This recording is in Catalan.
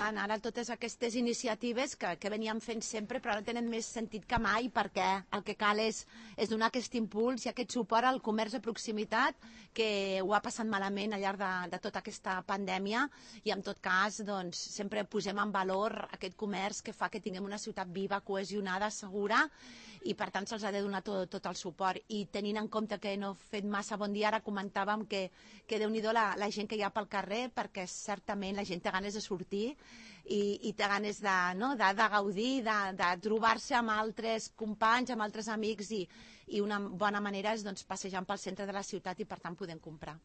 tant, ara totes aquestes iniciatives que veníem fent sempre, però ara tenen més sentit que mai, perquè el que cal és donar aquest impuls i aquest suport al comerç de proximitat, que ho ha passat malament al llarg de tota aquesta pandèmia, i en tot cas doncs, sempre posem en valor aquest comerç que fa que tinguem una ciutat viva, cohesionada, segura, i per tant se'ls ha de donar tot el suport. I tenint en compte que no he fet massa bon dia, ara comentàvem que Déu-n'hi-do la gent que hi ha pel carrer, perquè certament la gent té ganes de sortir i té ganes de gaudir, de trobar-se amb altres companys, amb altres amics, i una bona manera és doncs, passejant pel centre de la ciutat i per tant podem comprar.